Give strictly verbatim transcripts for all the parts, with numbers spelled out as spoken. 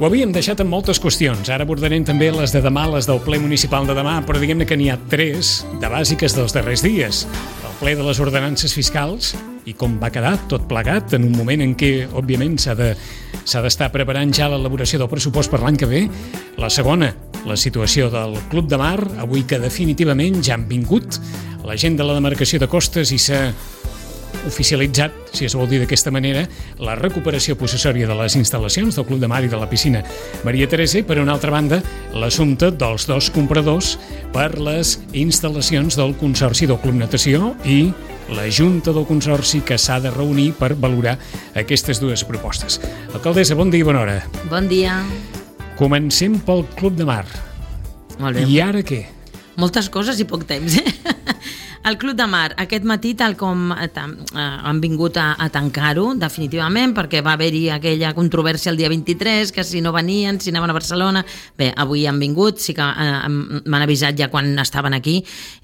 Ho havíem deixat en moltes qüestions. Ara abordarem també les de demà, les del ple municipal de demà, però diguem-ne que n'hi ha tres de bàsiques dels darrers dies. El ple de les ordenances fiscals i com va quedar tot plegat en un moment en què, òbviament, s'ha de, s'ha d'estar preparant ja l'elaboració del pressupost per l'any que ve. La segona, la situació del Club de Mar, avui que definitivament ja han vingut la gent de la demarcació de Costes i s'ha oficialitzat, si es vol dir d'aquesta manera, la recuperació possessòria de les instal·lacions del Club de Mar i de la piscina Maria Teresa i, per una altra banda, l'assumpte dels dos compradors per les instal·lacions del Consorci del Club Natació i la Junta del Consorci que s'ha de reunir per valorar aquestes dues propostes. Alcaldessa, bon dia i bona hora. Bon dia. Comencem pel Club de Mar. Molt bé. I ara què? Moltes coses i poc temps, eh? El Club de Mar, aquest matí, tal com eh, han vingut a, a tancar-ho, definitivament, perquè va haver-hi aquella controvèrsia el dia vint-i-tres, que si no venien, si anaven a Barcelona... Bé, avui han vingut, sí que eh, m'han avisat ja quan estaven aquí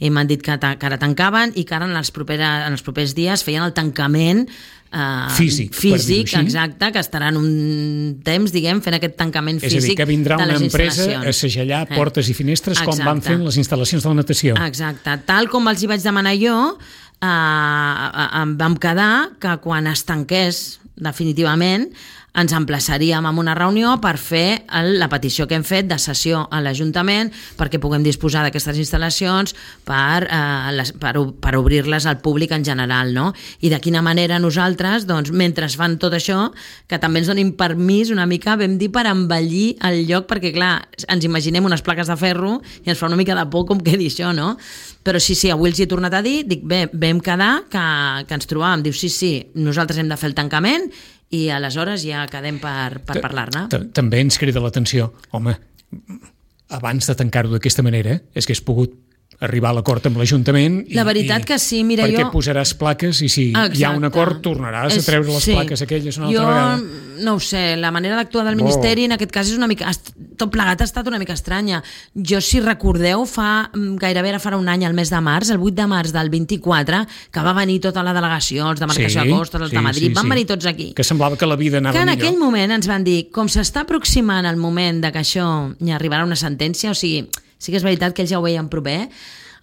i m'han dit que, que ara tancaven i que ara en els, propera, en els propers dies feien el tancament Uh, físic, físic exacte, que estaran un temps, diguem, fent aquest tancament físic. És a dir, que vindrà una empresa a segellar eh. portes i finestres exacte. Com van fent les instal·lacions de la natació. Exacte, tal com els hi vaig demanar jo, uh, em vam quedar que quan es tanqués definitivament ens emplaçaríem a una reunió per fer el, la petició que hem fet de cessió a l'Ajuntament perquè puguem disposar d'aquestes instal·lacions per, eh, les, per, per obrir-les al públic en general, no? I de quina manera nosaltres, doncs, mentre fan tot això, que també ens donin permís una mica, vam dir, per embellir el lloc, perquè clar, ens imaginem unes plaques de ferro i ens fa una mica de por com quedi això, no? Però sí, sí, avui els hi he tornat a dir, dic, bé, vam quedar que, que ens trobàvem, diu, sí, sí, nosaltres hem de fer el tancament i aleshores ja quedem per, per parlar-ne. També ens crida l'atenció, home, abans de tancar-ho d'aquesta manera, és que has pogut arribar a l'acord amb l'Ajuntament i, la veritat que sí, mira, perquè jo... posaràs plaques i si exacte. Hi ha un acord tornaràs és, a treure les sí. plaques aquelles una altra jo, vegada. Jo no ho sé, la manera d'actuar del Ministeri oh. en aquest cas és una mica, tot plegat ha estat una mica estranya. Jo, si recordeu, fa gairebé ara farà un any, el mes de març, el vuit de març del vint-i-quatre, que va venir tota la delegació, els de Demarcació sí, de Costes, els sí, de Madrid, sí, van sí. venir tots aquí. Que semblava que la vida anava millor. Que en millor. aquell moment ens van dir, com s'està aproximant el moment de que això hi arribarà una sentència, o sigui, sí que és veritat que ells ja ho veien proper,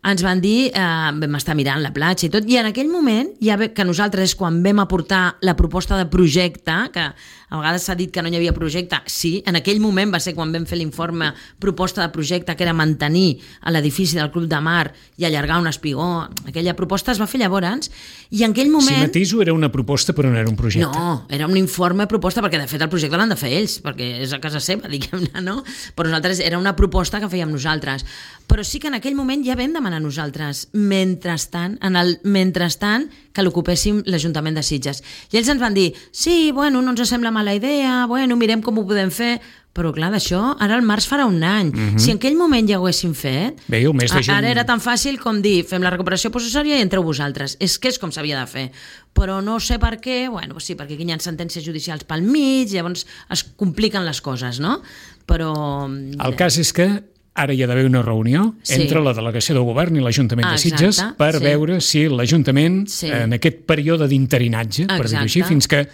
ens van dir, eh, vam estar mirant la platja i tot, i en aquell moment, ja ve, que nosaltres és quan vam aportar la proposta de projecte, que a vegades s'ha dit que no hi havia projecte, sí, en aquell moment va ser quan vam fer l'informe proposta de projecte, que era mantenir l'edifici del Club de Mar i allargar un espigó, aquella proposta es va fer llavors, i en aquell moment... Si matiso, era una proposta però no era un projecte. No, era un informe proposta, perquè de fet el projecte l'han de fer ells, perquè és a casa seva, diguem-ne, no? Però nosaltres era una proposta que fèiem nosaltres. Però sí que en aquell moment ja vam demanar nosaltres, mentrestant, en el mentrestant, que l'ocupéssim l'Ajuntament de Sitges. I ells ens van dir, sí, bueno, no ens sembla mala idea, bueno, mirem com ho podem fer, però clar, d'això, ara al març farà un any. Uh-huh. Si en aquell moment ja ho haguéssim fet, bé, el mes de juny... ara era tan fàcil com dir, fem la recuperació possessòria i entreu vosaltres. És que és com s'havia de fer. Però no sé per què, bueno, sí, perquè aquí hi ha sentències judicials pel mig, llavors es compliquen les coses, no? Però... El cas és que ara hi ha d'haver una reunió sí. entre la delegació del govern i l'Ajuntament ah, de Sitges per sí. veure si l'Ajuntament, sí. en aquest període d'interinatge, per dir-ho així, fins que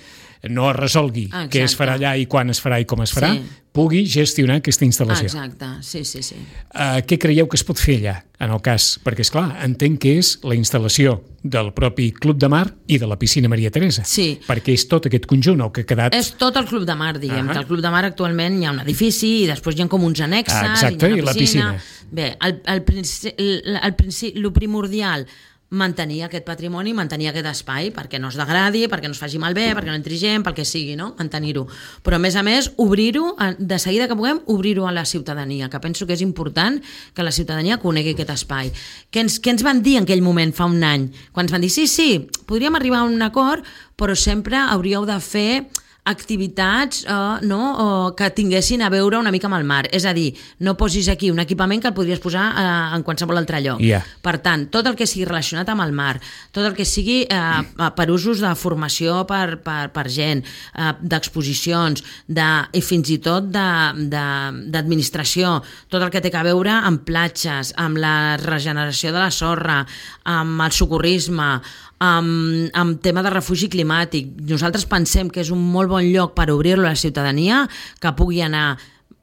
no es resolgui exacte. Què es farà allà i quan es farà i com es farà, sí. pugui gestionar aquesta instal·lació. Exacte, sí, sí, sí. Uh, què creieu que es pot fer allà, en el cas? Perquè, esclar, entenc que és la instal·lació del propi Club de Mar i de la piscina Maria Teresa. Sí. Perquè és tot aquest conjunt el que ha quedat... És tot el Club de Mar, diguem. Uh-huh. Que el Club de Mar actualment hi ha un edifici i després hi ha com uns annexes... Ah, exacte, i, i la piscina. Bé, el, el, principi, el, el, principi, el primordial... mantenir aquest patrimoni, mantenir aquest espai perquè no es degradi, perquè no es faci malbé, perquè no entri gent, pel que sigui, no? Mantenir-ho. Però a més a més, obrir-ho, de seguida que puguem, obrir-ho a la ciutadania, que penso que és important que la ciutadania conegui aquest espai. Què ens, què ens van dir en aquell moment, fa un any? Quan ens van dir, sí, sí, podríem arribar a un acord, però sempre hauríeu de fer activitats uh, no, uh, que tinguessin a veure una mica amb el mar. És a dir, no posis aquí un equipament que el podries posar uh, en qualsevol altre lloc. Yeah. Per tant, tot el que sigui relacionat amb el mar, tot el que sigui uh, per usos de formació per, per, per gent, uh, d'exposicions, de, i fins i tot d'administració, tot el que té a veure amb platges, amb la regeneració de la sorra, amb el socorrisme, amb, amb tema de refugi climàtic. Nosaltres pensem que és un molt bon lloc per obrir-lo a la ciutadania, que pugui anar,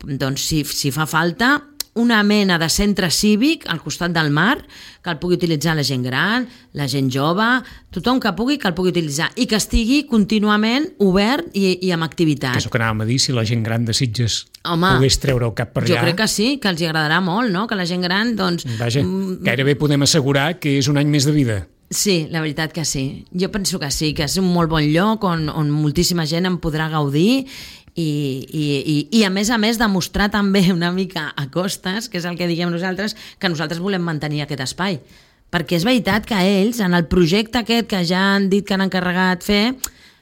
doncs, si, si fa falta, una mena de centre cívic al costat del mar, que el pugui utilitzar la gent gran, la gent jove, tothom que pugui, que el pugui utilitzar, i que estigui contínuament obert i, i amb activitat. Que és el que anàvem a dir, si la gent gran de Sitges Home, pogués treure el cap per allà... Jo crec que sí, que els agradarà molt, no? Que la gent gran, doncs... Vaja, gairebé podem assegurar que és un any més de vida. Sí, la veritat que sí. Jo penso que sí, que és un molt bon lloc on, on moltíssima gent en podrà gaudir i, i, i, i a més a més demostrar també una mica a costes, que és el que diguem nosaltres, que nosaltres volem mantenir aquest espai. Perquè és veritat que ells, en el projecte aquest que ja han dit que han encarregat fer,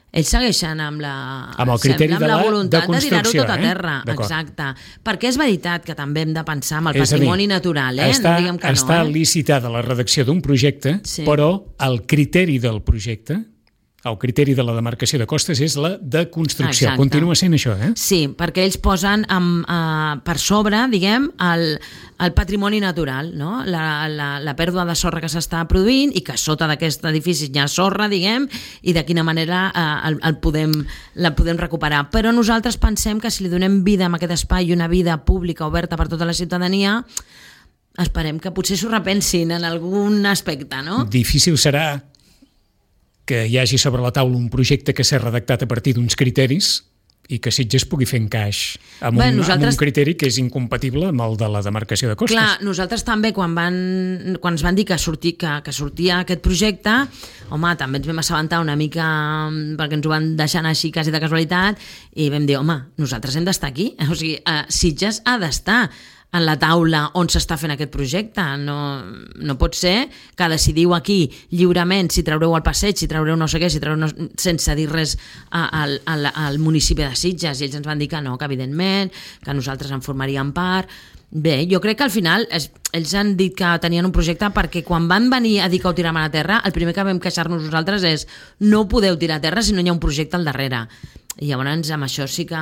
ells segueixen amb la, amb el criteri amb de, la la, voluntat de, de tirar-ho tot a eh? terra. Exacte. Perquè és veritat que també hem de pensar en el és patrimoni dir, natural, eh? Està, no diguem que està no, eh? licitada la redacció d'un projecte, sí. Però el criteri del projecte, el criteri de la demarcació de costes és la de construcció. Exacte. Continua sent això, eh? Sí, perquè ells posen amb, uh, per sobre, diguem, el, el patrimoni natural, no? la, la, la pèrdua de sorra que s'està produint i que sota d'aquest edifici hi ha sorra, diguem, i de quina manera uh, el, el podem, la podem recuperar. Però nosaltres pensem que si li donem vida a aquest espai i una vida pública oberta per tota la ciutadania, esperem que potser s'ho repensin en algun aspecte, no? Difícil serà que hi hagi sobre la taula un projecte que s'ha redactat a partir d'uns criteris i que Sitges pugui fer encaix amb, Bé, un, nosaltres... amb un criteri que és incompatible amb el de la demarcació de costes. Clar, nosaltres també, quan, van, quan ens van dir que, sortir, que, que sortia aquest projecte, home, també ens vam assabentar una mica, perquè ens ho van deixar anar així quasi de casualitat, i vam dir, home, nosaltres hem d'estar aquí. O sigui, uh, Sitges ha d'estar en la taula on s'està fent aquest projecte. No, no pot ser que decidiu aquí lliurement si traureu el passeig, si traureu no sé què, si traureu no, sense dir res al, al, al municipi de Sitges, i ells ens van dir que no, que evidentment, que nosaltres en formaríem part. Bé, jo crec que al final es, ells han dit que tenien un projecte perquè quan van venir a dir que ho tiraven a terra, el primer que vam queixar-nos nosaltres és no podeu tirar a terra si no hi ha un projecte al darrere. I llavors amb això sí que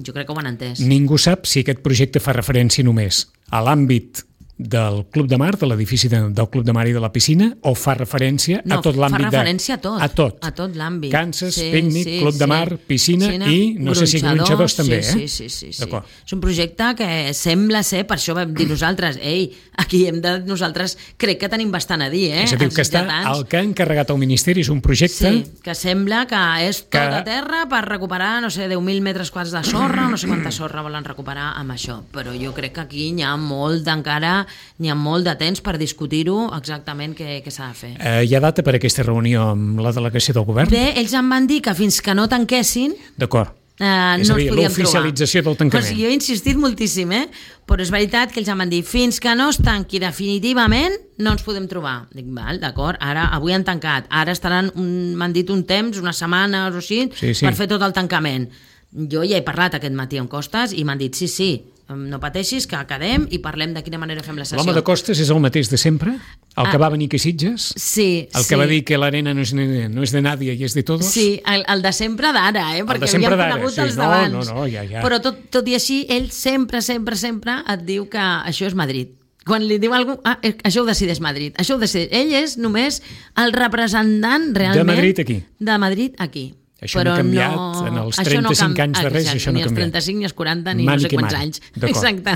jo crec que ho han entès. Ningú sap si aquest projecte fa referència només a l'àmbit del Club de Mar, de l'edifici de, del Club de Mar i de la piscina, o fa referència no, a tot l'àmbit de... No, fa referència a tot. A tot. A tot l'àmbit. Kansas, sí, pícnic, sí, Club de Mar, sí. piscina, piscina i no sé si gronxadors també, sí, eh? Sí, sí, sí. sí. És un projecte que sembla ser, per això vam dir nosaltres, ei, aquí hem de... Nosaltres crec que tenim bastant a dir, eh? És a dir, que està, el que ha encarregat el Ministeri és un projecte... Sí, que sembla que és tot que... a terra per recuperar, no sé, deu mil metres quadrats de sorra, no sé quanta sorra volen recuperar amb això, però jo crec que aquí n'hi ha molt encara, n'hi ha molt de temps per discutir-ho exactament què, què s'ha de fer. Eh, hi ha data per aquesta reunió amb la delegació del govern? Bé, ells em van dir que fins que no tanquessin... D'acord. Eh, és no a dir, l'oficialització del tancament. O sigui, jo he insistit moltíssim, eh? Però és veritat que ells em van dir fins que no es tanqui definitivament no ens podem trobar. Dic, val, d'acord, ara avui han tancat, ara estaran, m'han dit un temps, una setmana o així, sí, sí. per fer tot el tancament. Jo ja he parlat aquest matí amb Costes i m'han dit sí, sí, no pateixis, que quedem i parlem de quina manera fem la sessió. L'home de Costes és el mateix de sempre? El que ah, va venir a Sitges? Sí. El sí. que va dir que l'arena no, és, no és de nadie i és de todos? Sí, el, el de sempre d'ara, eh? Perquè havíem conegut sí. els no, d'abans. No, no, ja, ja. Però tot, tot i així, ell sempre, sempre, sempre et diu que això és Madrid. Quan li diu alguna cosa, ah, això ho decideix Madrid. Això ho decideix. Ell és només el representant realment... De Madrid aquí. De Madrid aquí. Això però no ha canviat no... en els trenta-cinc no anys de res, exacte, això no ha canviat. Ni els trenta-cinc, ni els quaranta, ni mani no sé quants mani. anys. Exacte.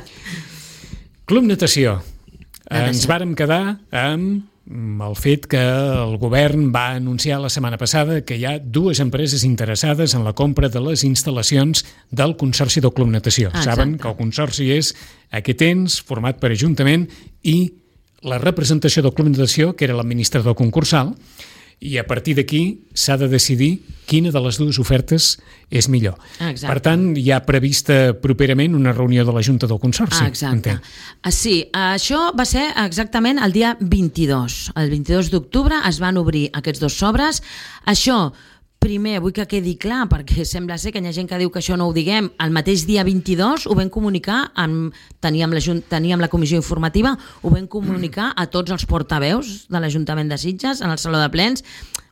Club Natació. Natació. Ens vàrem quedar amb el fet que el govern va anunciar la setmana passada que hi ha dues empreses interessades en la compra de les instal·lacions del Consorci del Club Natació. Exacte. Saben que el Consorci és aquest ens format per Ajuntament i la representació del Club Natació, que era l'administrador concursal, i a partir d'aquí s'ha de decidir quina de les dues ofertes és millor. Exacte. Per tant, hi ha prevista properament una reunió de la Junta del Consorci. Ah, exacte. Ah, sí, això va ser exactament el dia vint-i-dos. El vint-i-dos d'octubre es van obrir aquests dos sobres. Això... Primer, vull que quedi clar, perquè sembla ser que hi ha gent que diu que això no ho diguem. El mateix dia vint-i-dos ho vam comunicar, amb, teníem, la, teníem la comissió informativa, ho vam comunicar a tots els portaveus de l'Ajuntament de Sitges, en el Saló de Plens.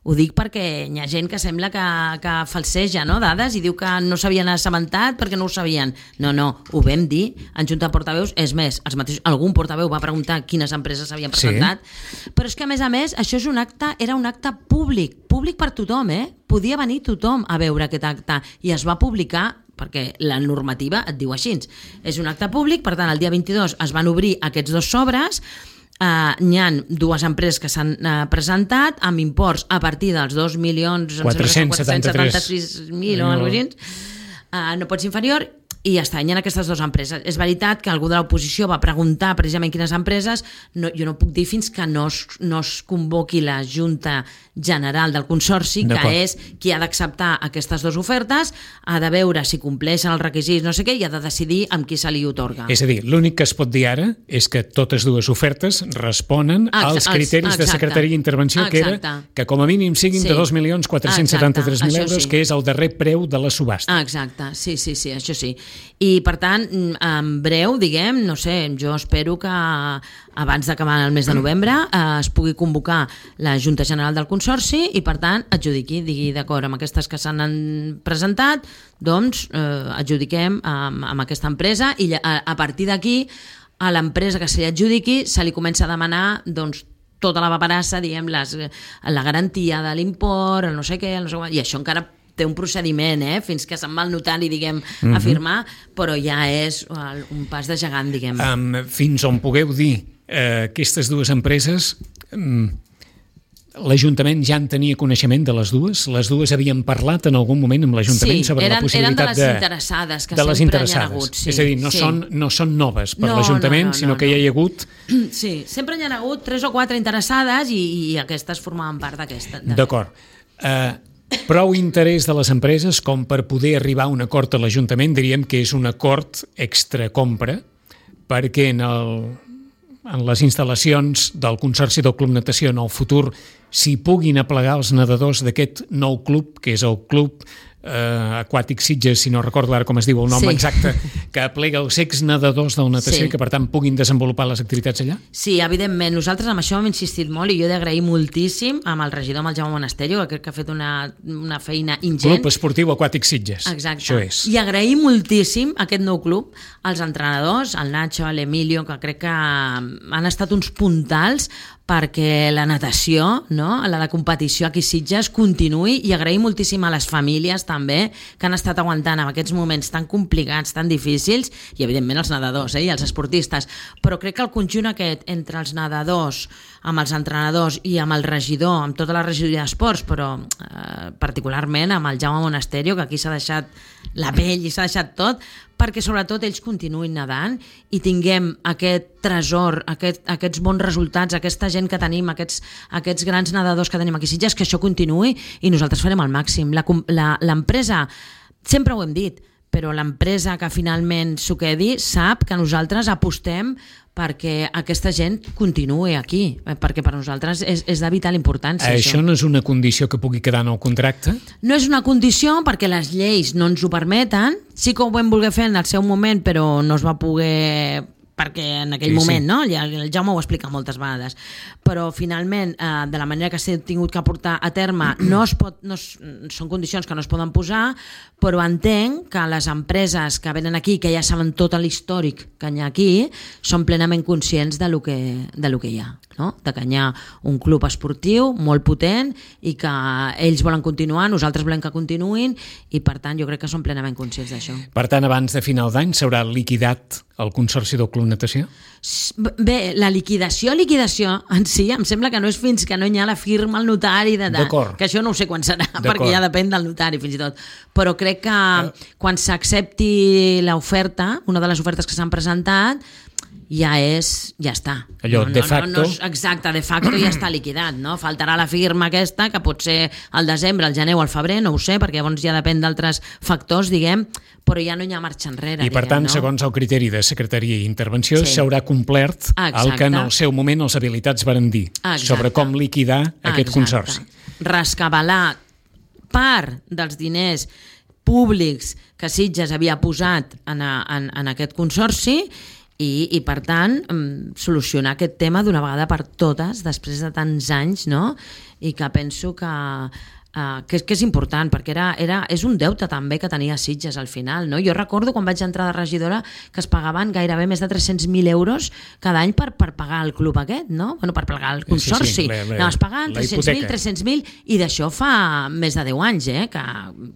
Ho dic perquè hi ha gent que sembla que, que falseja, no?, dades i diu que no s'havien assabentat perquè no ho sabien. No, no, ho vam dir en junta de portaveus. És més, els mateixos, algun portaveu va preguntar quines empreses s'havien presentat. Sí. Però és que, a més a més, això és un acte, era un acte públic, públic per tothom, eh? Podia venir tothom a veure aquest acte i es va publicar perquè la normativa et diu així. És un acte públic, per tant, el dia vint-i-dos es van obrir aquests dos sobres. Uh, hi ha dues empreses que s'han uh, presentat amb imports a partir dels dos milions quatre-cents setanta-sis mil o alguna cosa així, uh, no pot ser inferior, i ja està, hi ha aquestes dues empreses. És veritat que algú de l'oposició va preguntar precisament quines empreses, no, jo no puc dir fins que no es, no es convoqui la Junta General del Consorci, que és qui ha d'acceptar aquestes dues ofertes, ha de veure si compleixen els requisits, no sé què, i ha de decidir amb qui se li otorga. És a dir, l'únic que es pot dir ara és que totes dues ofertes responen Exacte, als criteris exacte, de Secretaria d'Intervenció, que era que com a mínim siguin sí. de dos milions quatre-cents setanta-tres mil euros, sí. que és el darrer preu de la subhasta. Exacte, sí, sí, sí, això sí. I, per tant, en breu, diguem, no sé, jo espero que abans d'acabar el mes de novembre eh, es pugui convocar la Junta General del Consorci i, per tant, adjudiqui, digui d'acord amb aquestes que s'han presentat, doncs eh, adjudiquem amb, amb aquesta empresa i a, a partir d'aquí a l'empresa que se li adjudiqui se li comença a demanar, doncs, tota la paperassa, diguem, les, la garantia de l'import, el no sé què, el no sé què, i això encara té un procediment, eh? Fins que se'n va al notari, diguem, mm-hmm. a firmar, però ja és un pas de gegant, diguem. Um, fins on pugueu dir eh, aquestes dues empreses, um, l'Ajuntament ja en tenia coneixement de les dues? Les dues havien parlat en algun moment amb l'Ajuntament sí, sobre eren, la possibilitat de... Sí, eren de les interessades, que de les sempre interessades. n'hi ha hagut. Sí, és a dir, no, sí. són, no són noves per no, l'Ajuntament, no, no, sinó no, que no. ja hi ha hagut... Sí, sempre n'hi ha hagut tres o quatre interessades i, i aquestes formaven part d'aquesta. D'acord. Eh... Prou interès de les empreses com per poder arribar a un acord a l'Ajuntament, diríem que és un acord extracompra, perquè en, el, en les instal·lacions del Consorci del Club Natació en el futur s'hi puguin aplegar els nedadors d'aquest nou club, que és el Club eh, Aquàtic Sitges, si no recordo ara com es diu el nom sí. exacte, que aplega els ex-nedadors del natació sí. i que per tant puguin desenvolupar les activitats allà? Sí, evidentment. Nosaltres amb això hem insistit molt i jo he d'agrair moltíssim amb el regidor, amb el Jaume Monasterio, que crec que ha fet una, una feina ingent. Club Esportiu Aquàtic Sitges. Exacte. Això és. I agrair moltíssim aquest nou club als entrenadors, al Nacho, a l'Emilio, que crec que han estat uns puntals perquè la natació, no? la, la competició aquí a Sitges continuï, i agrair moltíssim a les famílies també que han estat aguantant en aquests moments tan complicats, tan difícils, i evidentment els nedadors eh? i els esportistes, però crec que el conjunt aquest entre els nedadors, amb els entrenadors i amb el regidor, amb tota la regidoria d'esports, però eh, particularment amb el Jaume Monasterio, que aquí s'ha deixat la pell i s'ha deixat tot, perquè sobretot ells continuïn nedant i tinguem aquest tresor, aquest, aquests bons resultats, aquesta gent que tenim, aquests, aquests grans nedadors que tenim aquí a Sitges, que això continuï i nosaltres farem el màxim. La, la, l'empresa, sempre ho hem dit, però l'empresa que finalment s'ho quedi sap que nosaltres apostem perquè aquesta gent continuï aquí, perquè per nosaltres és, és de vital importància. Això, això no és una condició que pugui quedar en el contracte? No és una condició perquè les lleis no ens ho permeten. Sí que ho vam voler fer en el seu moment, però no es va poder... perquè en aquell sí, moment, sí. no? Ja, el Jaume ho explica moltes vegades, però finalment, eh, de la manera que s'ha tingut que portar a terme, no es pot, no es, són condicions que no es poden posar, però entenc que les empreses que venen aquí, que ja saben tot l'històric que hi ha aquí, són plenament conscients de lo que, de lo que hi ha, no? De que hi ha un club esportiu molt potent i que ells volen continuar, nosaltres volem que continuïn, i per tant jo crec que són plenament conscients d'això. Per tant, abans de final d'any s'haurà liquidat el Consorci del Club Natació? Bé, la liquidació, liquidació en si, em sembla que no és fins que no hi ha la firma al notari, de, de, que això no ho sé quan serà, perquè ja depèn del notari fins i tot, però crec que quan s'accepti l'oferta, una de les ofertes que s'han presentat, ja és, ja està. Allò, no, de no, facto... No, no, exacte, de facto ja està liquidat, no? Faltarà la firma aquesta, que pot ser al desembre, al gener o al febrer, no ho sé, perquè llavors ja depèn d'altres factors, diguem, però ja no hi ha marxa enrere. I per diguem, tant, no? segons el criteri de Secretaria i Intervenció, sí. s'haurà complert exacte. El que en el seu moment els habilitats varen dir, exacte. Sobre com liquidar aquest exacte. Consorci. Rescabalar part dels diners públics que Sitges havia posat en, a, en, en aquest consorci I, i per tant, solucionar aquest tema d'una vegada per totes, després de tants anys, no? I que penso que, uh, que, que és important, perquè era, era, és un deute també que tenia Sitges al final, no? Jo recordo quan vaig entrar de regidora que es pagaven gairebé més de tres-cents mil euros cada any per, per pagar el club aquest, no? Bueno, per pagar el consorci. Sí, sí, le, le, no, es pagaven tres-cents mil, tres-cents mil, i d'això fa més de deu anys, eh? Que,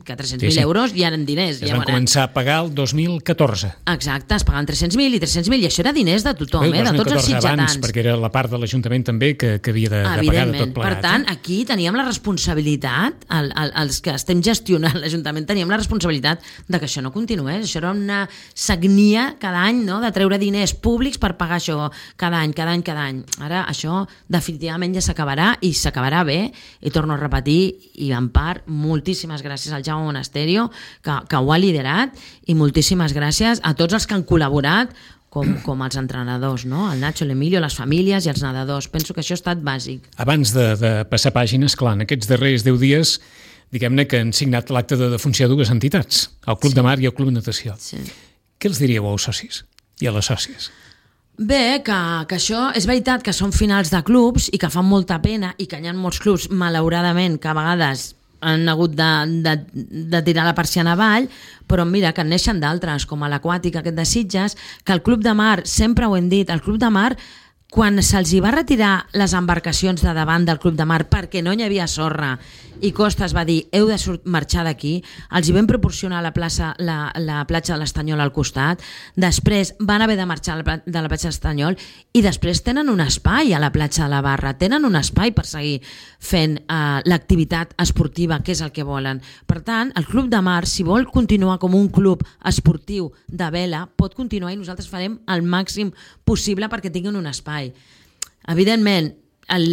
que tres-cents mil sí, sí. euros ja eren diners. Es van ja començar a pagar el dos mil catorze. Exacte, es pagaven tres-cents mil i tres-cents mil, i això era diners de tothom, eh? De tots els sitgetans. Abans, perquè era la part de l'Ajuntament també que, que havia de, de pagar de tot plegat. Per tant, aquí teníem la responsabilitat, el, el, els que estem gestionant l'Ajuntament, teníem la responsabilitat de que això no continués. Això era una sagnia cada any, no?, de treure diners públics per pagar això cada any, cada any, cada any. Ara això definitivament ja s'acabarà, i s'acabarà bé, i torno a repetir, i en part moltíssimes gràcies al Jaume Monasterio, que, que ho ha liderat, i moltíssimes gràcies a tots els que han col·laborat, com, com els entrenadors, no? El Nacho, l'Emilio, les famílies i els nedadors. Penso que això ha estat bàsic. Abans de, de passar pàgines, clar, en aquests darrers deu dies, diguem-ne que han signat l'acte de defunció de dues entitats, el Club sí. de Mar i el Club Natació. Sí. Què els diríeu als socis i a les sòcies? Bé, que, que això és veritat que són finals de clubs i que fan molta pena, i que hi ha molts clubs, malauradament, que a vegades han hagut de, de, de tirar la persiana avall, però mira, que en neixen d'altres, com a l'Aquàtic aquest de Sitges, que el Club de Mar, sempre ho hem dit, el Club de Mar, quan se'ls hi va retirar les embarcacions de davant del Club de Mar perquè no hi havia sorra, i Costa es va dir, heu de marxar d'aquí, els hi vam proporcionar la, plaça, la, la platja de l'Estanyol al costat, després van haver de marxar de la platja de l'Estanyol, i després tenen un espai a la platja de la Barra, tenen un espai per seguir fent uh, l'activitat esportiva, que és el que volen. Per tant, el Club de Mar, si vol continuar com un club esportiu de vela, pot continuar, i nosaltres farem el màxim possible perquè tinguin un espai. Evidentment, el,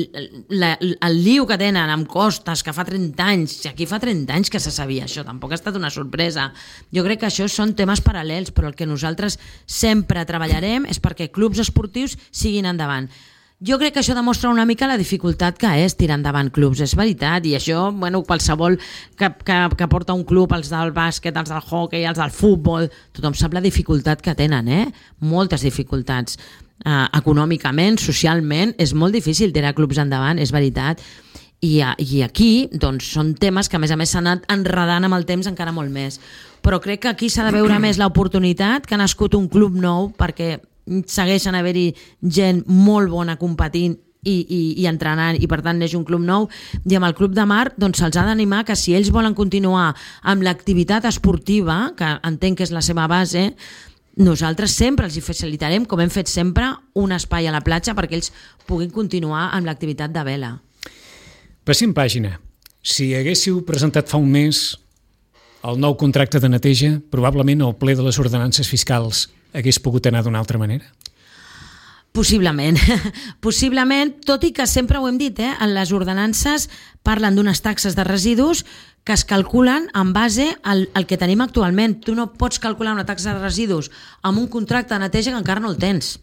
la, el liu que tenen amb Costes, que fa trenta anys, si aquí fa trenta anys que se sabia això, tampoc ha estat una sorpresa. Jo crec que això són temes paral·lels, però el que nosaltres sempre treballarem és perquè clubs esportius siguin endavant. Jo crec que això demostra una mica la dificultat que és tirar endavant clubs, és veritat, i això, bueno, qualsevol que, que, que porta un club, els del bàsquet, els del hoquei, els del futbol, tothom sap la dificultat que tenen, eh? Moltes dificultats. Uh, econòmicament, socialment, és molt difícil tirar clubs endavant, és veritat, i, uh, i aquí doncs, són temes que a més a més s'han anat enredant amb el temps encara molt més, però crec que aquí s'ha de veure més l'oportunitat que ha nascut un club nou, perquè segueixen a haver-hi gent molt bona competint i, i, i entrenant, i per tant neix un club nou, i amb el Club de Mar doncs se'ls ha d'animar que si ells volen continuar amb l'activitat esportiva, que entenc que és la seva base, nosaltres sempre els hi facilitarem, com hem fet sempre, un espai a la platja perquè ells puguin continuar amb l'activitat de vela. Passem pàgina. Si haguéssiu presentat fa un mes el nou contracte de neteja, probablement el ple de les ordenances fiscals hagués pogut anar d'una altra manera? Possiblement, possiblement, tot i que sempre ho hem dit, eh? En les ordenances parlen d'unes taxes de residus que es calculen en base al, al que tenim actualment. Tu no pots calcular una taxa de residus amb un contracte de neteja que encara no el tens.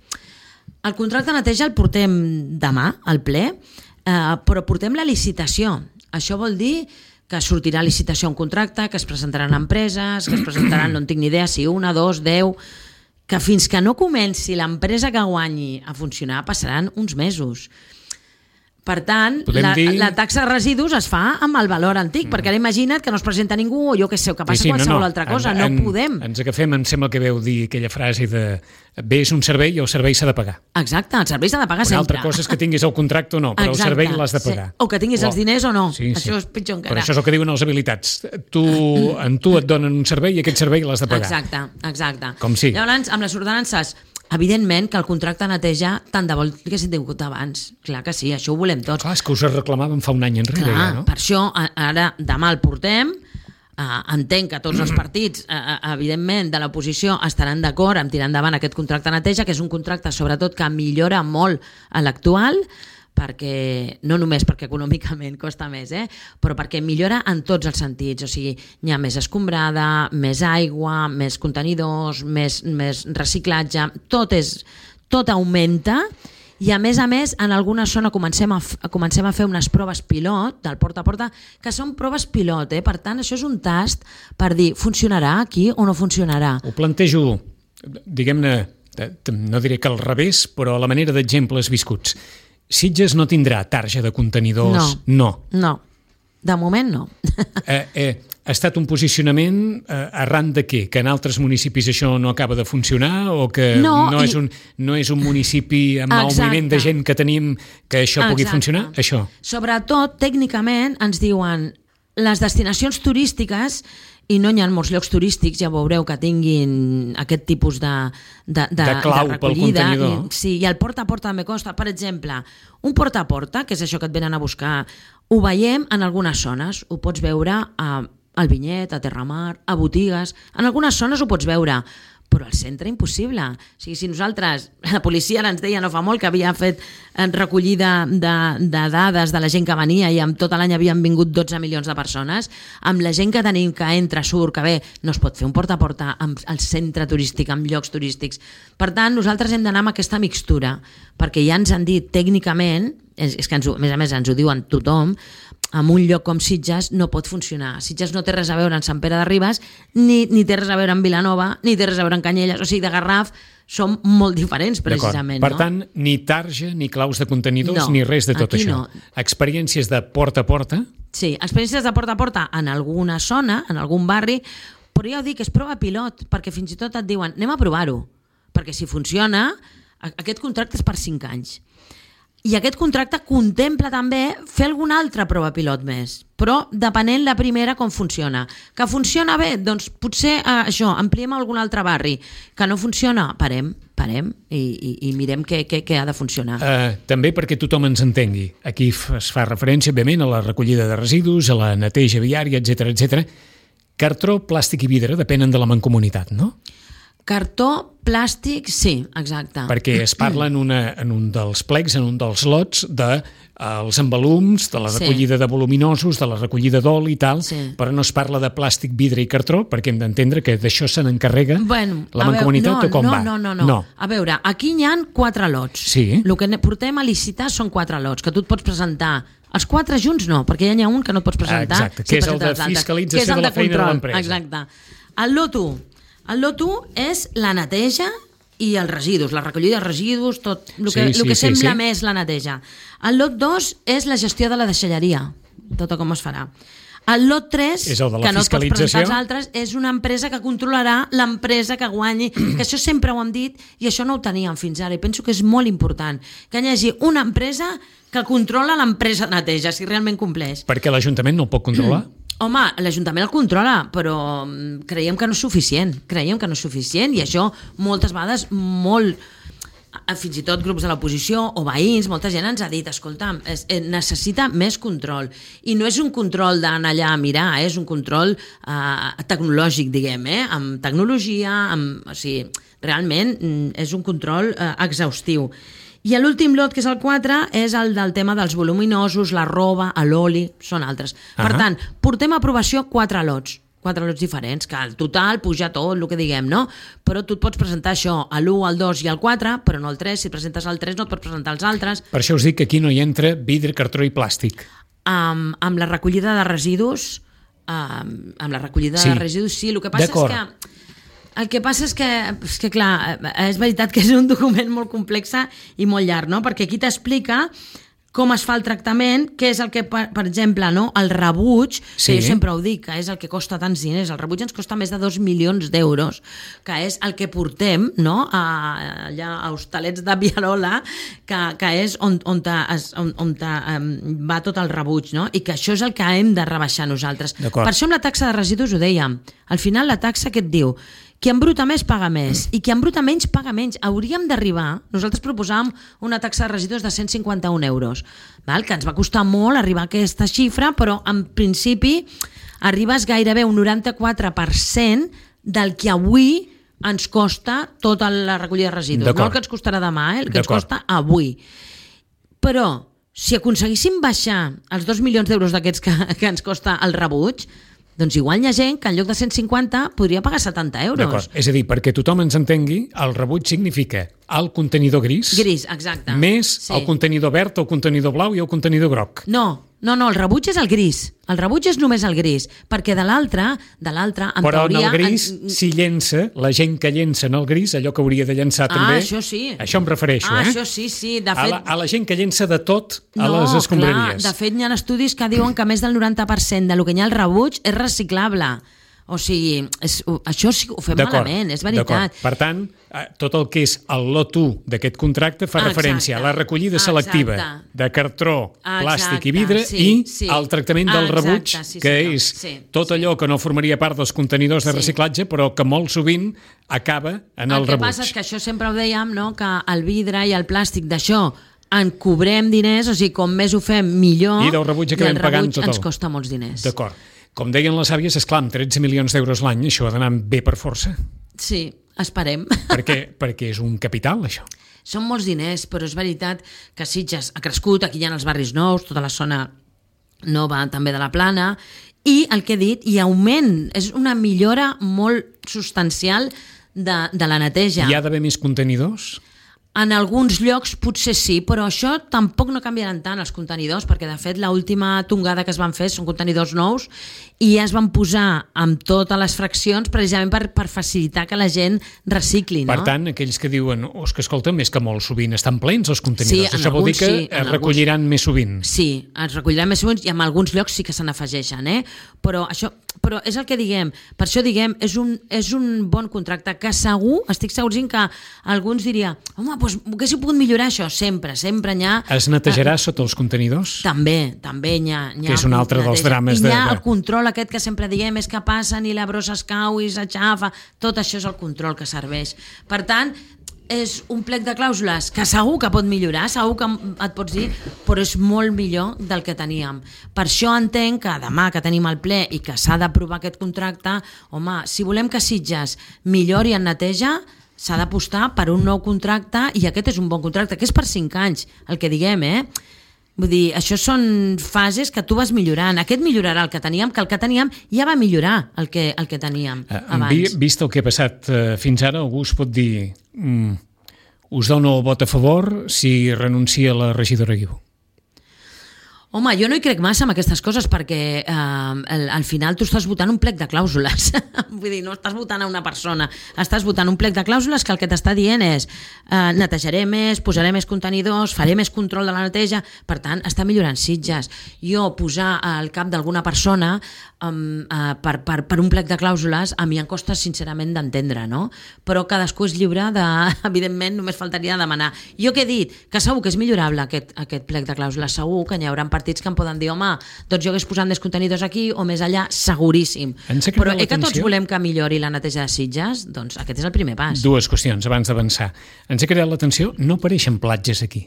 El contracte de neteja el portem demà al ple, eh, però portem la licitació. Això vol dir que sortirà a licitació un contracte, que es presentaran empreses, que es presentaran, no en tinc ni idea, si una, dos, deu, que fins que no comenci l'empresa que guanyi a funcionar passaran uns mesos. Per tant, la, dir... la taxa de residus es fa amb el valor antic, mm. perquè ara imagina't que no es presenta ningú, o jo que sé, que passa sí, sí, qualsevol no, no. altra cosa, en, no en, podem. Ens agafem, em sembla que veu dir aquella frase de bé és un servei i el servei s'ha de pagar. Exacte, el servei s'ha de pagar sempre. Una altra cosa és que tinguis el contracte o no, però Exacte. El servei l'has de pagar. Sí. O que tinguis o... els diners o no, sí, sí. Això és pitjor encara. Però això és el que diuen els habilitats. Tu, en tu et donen un servei i aquest servei l'has de pagar. Exacte, exacte. Com sí. Llavors, amb les ordenances, evidentment que el contracte de neteja tant de vol que s'ha tingut abans. Clar que sí, això ho volem tots. Clar, és que us reclamàvem fa un any enrere. Clar, ja, no? Per això ara demà el portem. Uh, entenc que tots els partits, uh, evidentment, de l'oposició estaran d'acord amb tirar endavant aquest contracte de neteja, que és un contracte, sobretot, que millora molt a l'actual, perquè no només perquè econòmicament costa més, eh? Però perquè millora en tots els sentits, o sigui, hi ha més escombrada, més aigua, més contenidors, més, més reciclatge, tot, és, tot augmenta, i a més a més en alguna zona comencem a, f- comencem a fer unes proves pilot del porta a porta, que són proves pilot, eh? Per tant això és un tast per dir funcionarà aquí o no funcionarà. Ho plantejo, diguem-ne, no diré que al revés, però a la manera d'exemples viscuts. Sitges no tindrà tarja de contenidors? No. No. No. De moment no. Eh, eh, ha estat un posicionament eh, arran de què? Que en altres municipis això no acaba de funcionar o que no, no, i... és, un, no és un municipi amb el moviment de gent que tenim que això Exacte. Pugui funcionar? Això. Sobretot, tècnicament, ens diuen les destinacions turístiques, i no hi ha molts llocs turístics, ja veureu, que tinguin aquest tipus de, de, de, de clau de pel contenidor. I, sí, i el porta a porta també costa. Per exemple, un porta a porta, que és això que et venen a buscar, ho veiem en algunes zones. Ho pots veure a, al Vinyet, a Terramar, a botigues. En algunes zones ho pots veure, però al centre impossible. O sigui, si nosaltres, la policia ara ens deia no fa molt que havia fet recollida de, de dades de la gent que venia i amb tot l'any havien vingut dotze milions de persones, amb la gent que tenim que entra, surt, que ve, no es pot fer un porta a porta amb el centre turístic, amb llocs turístics. Per tant, nosaltres hem d'anar amb aquesta mixtura, perquè ja ens han dit tècnicament, és, és que ens, a més a més ens ho diuen tothom, en un lloc com Sitges no pot funcionar. Sitges no té res a veure en Sant Pere de Ribes, ni, ni té res a veure en Vilanova, ni té res a veure en Canyelles. O sigui, de Garraf som molt diferents, precisament. Per no? tant, ni tarja, ni claus de contenidors, no, ni res de tot això. No. Experiències de porta a porta? Sí, experiències de porta a porta en alguna zona, en algun barri, però ja ho dic, és prova pilot, perquè fins i tot et diuen anem a provar-ho, perquè si funciona, aquest contracte és per cinc anys. I aquest contracte contempla també fer alguna altra prova pilot més, però depenent la primera com funciona. Que funciona bé? Doncs potser eh, això, ampliem a algun altre barri. Que no funciona? Parem, parem i, i, i mirem què, què, què ha de funcionar. Uh, també perquè tothom ens entengui. Aquí es fa referència, òbviament, a la recollida de residus, a la neteja viària, etcètera, etcètera. Cartró, plàstic i vidre depenen de la mancomunitat, no? Cartó, plàstic, sí, exacte. Perquè es parla en, una, en un dels plecs, en un dels lots, de els embalums, de la recollida sí. de voluminosos, de la recollida d'oli i tal, sí. però no es parla de plàstic, vidre i cartró, perquè hem d'entendre que d'això se n'encarrega bueno, la mancomunitat no, o com no, va? No, no, no, no. A veure, aquí hi ha quatre lots. Sí. El que portem a licitar són quatre lots, que tu et pots presentar. Els quatre junts no, perquè ja n'hi ha un que no et pots presentar. Exacte, que si és el de fiscalització de la feina de l'empresa. Exacte. El lot u. El lot u és la neteja i els residus, la recollida de residus, tot el que, sí, sí, el que sembla sí, sí. més la neteja. El lot dos és la gestió de la deixalleria, tot com es farà. El lot tres, que no et pots presentar als altres, és una empresa que controlarà l'empresa que guanyi, que això sempre ho hem dit i això no ho teníem fins ara i penso que és molt important, que hi hagi una empresa que controla l'empresa de neteja, si realment compleix. Perquè l'Ajuntament no el pot controlar? Home, l'Ajuntament el controla, però creiem que no és suficient, creiem que no és suficient i això moltes vegades molt, fins i tot grups de l'oposició o veïns, molta gent ens ha dit, escolta'm, es, necessita més control i no és un control d'anar allà a mirar, eh? És un control eh, tecnològic, diguem, eh? Amb tecnologia, amb, o sigui, realment és un control eh, exhaustiu. I l'últim lot, que és el quatre, és el del tema dels voluminosos, la roba, l'oli, són altres. Uh-huh. Per tant, portem a aprovació quatre lots, quatre lots diferents, que al total puja tot, el que diguem, no? Però tu et pots presentar això, a l'u, al dos i al quatre, però no al tres, si presentes al tres no et pots presentar als altres. Per això us dic que aquí no hi entra vidre, cartró i plàstic. Um, amb la recollida de residus, um, amb la recollida sí. de residus, sí, el que passa és que... El que passa és que, és que, clar, és veritat que és un document molt complex i molt llarg, no? Perquè aquí t'explica com es fa el tractament, què és el que, per, per exemple, no? El rebuig, sí. que jo sempre ho dic, que és el que costa tants diners, el rebuig ens costa més de dos milions d'euros, que és el que portem, no? A, allà a Hostalets de Vialola, que, que és on, on, te, on, on te, um, va tot el rebuig, no? I que això és el que hem de rebaixar nosaltres. Per això amb la taxa de residus ho dèiem, al final la taxa que et diu qui embruta més paga més i qui embruta menys paga menys. Hauríem d'arribar, nosaltres proposàvem una taxa de residus de cent cinquanta-un euros, val? Que ens va costar molt arribar a aquesta xifra, però en principi arribes gairebé un noranta-quatre per cent del que avui ens costa tota la recollida de residus. No el que ens costarà demà, eh? El que ens costa avui. Però si aconseguíssim baixar els dos milions d'euros d'aquests que, que ens costa el rebuig, doncs igual hi ha gent que en lloc de cent cinquanta podria pagar setanta euros. D'acord, és a dir, perquè tothom ens entengui, el rebuig significa el contenidor gris, Gris, exacte. més Sí. el contenidor verd, el contenidor blau i el contenidor groc. No, no, no, el rebuig és el gris. El rebuig és només el gris, perquè de l'altre, de l'altre, en Però teoria... en el gris en... s'hi llença, la gent que llença en el gris, allò que hauria de llençar Ah, també... això sí. Això em refereixo, ah, eh? això sí, sí. De A fet, la, a la gent que llença de tot a no, les escombraries. Clar, de fet, hi ha estudis que diuen que més del noranta per cent del que hi ha al rebuig és reciclable. O sigui, és, això sí que ho fem malament, és veritat. Per tant, tot el que és el lot u d'aquest contracte fa Exacte. referència a la recollida Exacte. selectiva de cartró, Exacte. plàstic i vidre Sí, i sí. el tractament del Exacte, rebuig, sí, que senyor. és Sí, tot allò que no formaria part dels contenidors de Sí. reciclatge, però que molt sovint acaba en el, el que rebuig. passa és que això sempre ho dèiem, no? Que el vidre i el plàstic d'això en cobrem diners, o sigui, com més ho fem, millor. I del rebuig acabem i el pagant rebuig tot el- ens costa molts diners. D'acord. Com deien les àvies, esclar, amb tretze milions d'euros l'any, això ha d'anar bé per força. Sí, esperem. Perquè, perquè és un capital, això. Són molts diners, però és veritat que Sitges ha crescut, aquí hi ha els barris nous, tota la zona nova també de la Plana, i el que he dit, hi ha augment, és una millora molt substancial de, de la neteja. Hi ha d'haver més contenidors? En alguns llocs potser sí, però això tampoc no canviaran tant els contenidors, perquè de fet l'última tongada que es van fer són contenidors nous i ja es van posar amb totes les fraccions precisament per, per facilitar que la gent recicli. No? Per tant, aquells que diuen oh, és que escolta, més que molt sovint estan plens els contenidors, Sí, en això vol dir alguns que sí, en es recolliran alguns... més sovint. Sí, es recolliran més sovint i en alguns llocs sí que se n'afegeixen, eh? Però això, però és el que diguem, per això diguem, és un, és un bon contracte que segur, estic segurint que alguns diria, home, doncs haguéssiu pogut millorar això, sempre, sempre n'hi ha... Es netejarà sota els contenidors? També, també n'hi ha... n'hi ha Que és un altre dels neteja. drames I n'hi ha de- el control aquest que sempre diguem, és que passen i la brossa es cau i s'aixafa, tot això és el control que serveix. Per tant, és un plec de clàusules que segur que pot millorar, segur que et pots dir, però és molt millor del que teníem. Per això entenc que demà que tenim el ple i que s'ha d'aprovar aquest contracte, home, si volem que Sitges millori en neteja, s'ha d'apostar per un nou contracte i aquest és un bon contracte, que és per cinc anys, el que diguem, eh? Vull dir, això són fases que tu vas millorant. Aquest millorarà el que teníem, que el que teníem ja va millorar el que, el que teníem Eh, abans. vi- Vist el que ha passat eh, fins ara, algú es pot dir mm, us dono el vot a favor si renuncia la regidora Guiu. Home, jo no hi crec massa en aquestes coses perquè eh, al, al final tu estàs votant un plec de clàusules. Vull dir, no estàs votant a una persona, estàs votant un plec de clàusules que el que t'està dient és eh, netejaré més, posaré més contenidors, faré més control de la neteja, per tant, està millorant Sitges. Jo posar al cap d'alguna persona um, uh, per, per, per un plec de clàusules a mi em costa sincerament d'entendre, no? Però cadascú és lliure de, evidentment, només faltaria demanar. Jo què he dit? Que segur que és millorable aquest, aquest plec de clàusules, segur que n'hi haurà partits que em poden dir, home, doncs jo hagués posat més contenidors aquí o més allà, seguríssim. Ens ha cridat Però eh, que tots l'atenció. volem que millori la neteja de Sitges, doncs aquest és el primer pas. Dues qüestions abans d'avançar. Ens ha creat l'atenció, no apareixen platges aquí.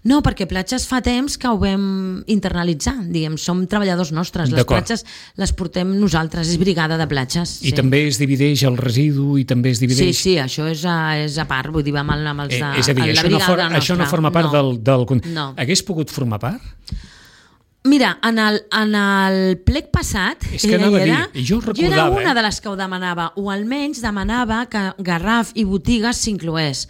No, perquè platges fa temps que ho vam internalitzar, diguem, som treballadors nostres, les D'acord. platges les portem nosaltres, és brigada de platges. I també es divideix el residu i també es Sí, divideix... sí, això és a, és a part, vull dir, vam amb els de... Eh, és a dir, la això no, brigada for, nostra. això no forma part No. del... del... No. Hagués pogut formar part? Mira, en el, en el plec passat, És que ella anava a hi dir, era, i jo ho jo era recordava, una eh? de les que ho demanava, o almenys demanava que Garraf i botigues s'incloés,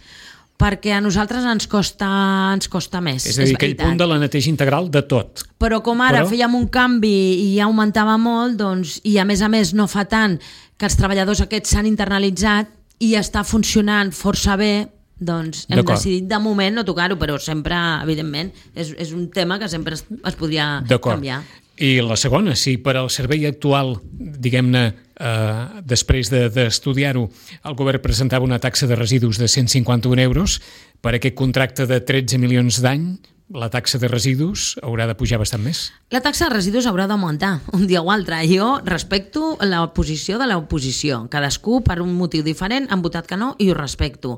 perquè a nosaltres ens costa, ens costa més. És a dir, aquell veritat. punt de la neteja integral de tot. Però com ara Però- fèiem un canvi i ja augmentava molt, doncs, i a més a més no fa tant que els treballadors aquests s'han internalitzat i està funcionant força bé, doncs hem D'acord. decidit de moment no tocar-ho, però sempre, evidentment, és, és un tema que sempre es, es podria D'acord. canviar. I la segona, si per al servei actual, diguem-ne, eh, després de- d'estudiar-ho, el govern presentava una taxa de residus de cent cinquanta-un euros, per aquest contracte de tretze milions d'any, la taxa de residus haurà de pujar bastant més. La taxa de residus haurà d'augmentar un dia o altre. Jo respecto la posició de l'oposició. Cadascú, per un motiu diferent, han votat que no i ho respecto.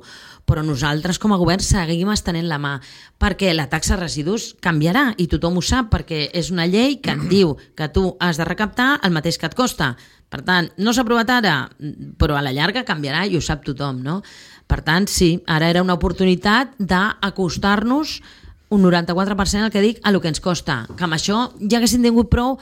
Però nosaltres, com a govern, seguim estenent la mà, perquè la taxa de residus canviarà i tothom ho sap, perquè és una llei que et diu que tu has de recaptar el mateix que et costa. Per tant, no s'ha aprovat ara, però a la llarga canviarà i ho sap tothom, no? Per tant, sí, ara era una oportunitat d'acostar-nos un noranta-quatre per cent el que dic a el que ens costa, que amb això ja haguessin tingut prou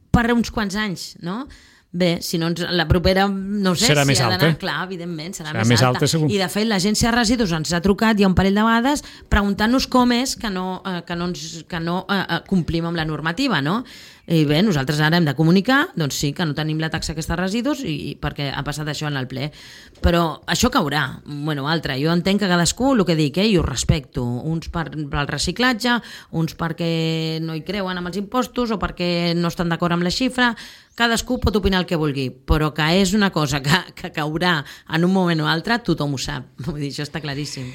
per uns quants anys, no? Bé, si no ens, la propera, no ho sé, serà si més ha d'anar, alta. clar, evidentment, serà, serà més, més alta. alta segur. I de fet l'agència de residus ens ha trucat ja un parell de vegades preguntant-nos com és que no, eh, que no, ens, que no eh, complim amb la normativa, no? I bé, nosaltres ara hem de comunicar, doncs sí, que no tenim la taxa aquesta de residus i, i perquè ha passat això en el ple. Però això caurà, bueno, altre. Jo entenc que cadascú, el que dic, eh, i ho respecto. Uns per, pel reciclatge, uns perquè no hi creuen amb els impostos o perquè no estan d'acord amb la xifra. Cadascú pot opinar el que vulgui, però que és una cosa que, que caurà en un moment o altre, tothom ho sap. Vull dir, això està claríssim.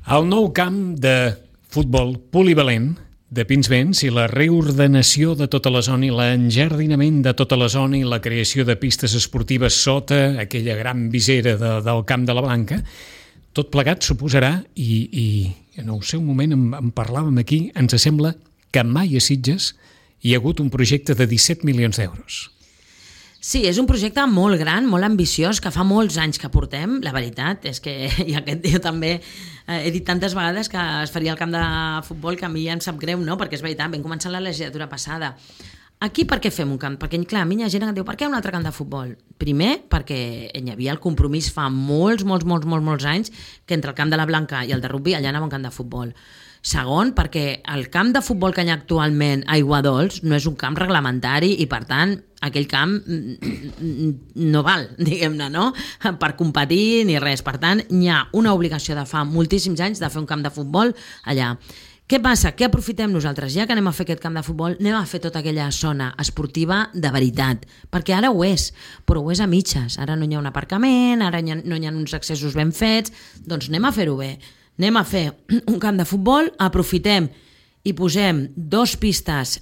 El nou camp de futbol polivalent de Pinsbens i la reordenació de tota la zona i l'enjardinament de tota la zona i la creació de pistes esportives sota aquella gran visera de, del Camp de la Blanca, tot plegat suposarà, i, i en el seu moment en, en parlàvem aquí, ens sembla que mai a Sitges hi ha hagut un projecte de disset milions d'euros. Sí, és un projecte molt gran, molt ambiciós, que fa molts anys que portem. La veritat és que i aquest jo també eh, he dit tantes vegades que es faria el camp de futbol que a mi ja em sap greu, no? Perquè és veritat, vam començar la legislatura passada. Aquí per què fem un camp? Perquè, clar, a mi hi ha gent que em diu per què un altre camp de futbol? Primer, perquè hi havia el compromís fa molts, molts, molts, molts, molts anys que entre el camp de la Blanca i el de rugby allà anava un camp de futbol. Segon, perquè el camp de futbol que hi ha actualment a Aiguadols no és un camp reglamentari i, per tant, aquell camp no val, diguem-ne, no? Per competir ni res. Per tant, hi ha una obligació de fa moltíssims anys de fer un camp de futbol allà. Què passa? Què aprofitem nosaltres? Ja que anem a fer aquest camp de futbol, anem a fer tota aquella zona esportiva de veritat, perquè ara ho és, però ho és a mitges. Ara no hi ha un aparcament, ara no hi ha uns accessos ben fets, doncs anem a fer-ho bé. Anem a fer un camp de futbol, aprofitem i posem dos pistes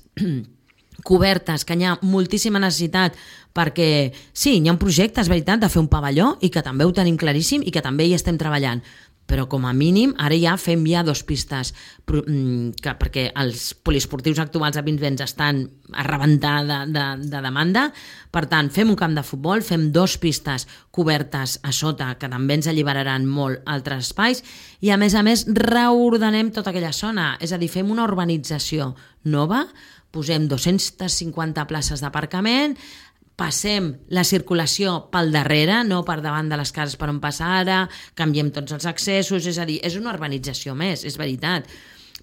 cobertes, que hi ha moltíssima necessitat, perquè sí, hi ha un projecte, és veritat, de fer un pavelló i que també ho tenim claríssim i que també hi estem treballant, però com a mínim ara ja fem ja dos pistes que, perquè els poliesportius actuals a Pinsbens estan a rebentar de, de, de demanda. Per tant, fem un camp de futbol, fem dos pistes cobertes a sota que també ens alliberaran molt altres espais i a més a més reordenem tota aquella zona, és a dir, fem una urbanització nova, posem dues-centes cinquanta places d'aparcament, passem la circulació pel darrere, no per davant de les cases per on passa ara, canviem tots els accessos, és a dir, és una urbanització més, és veritat.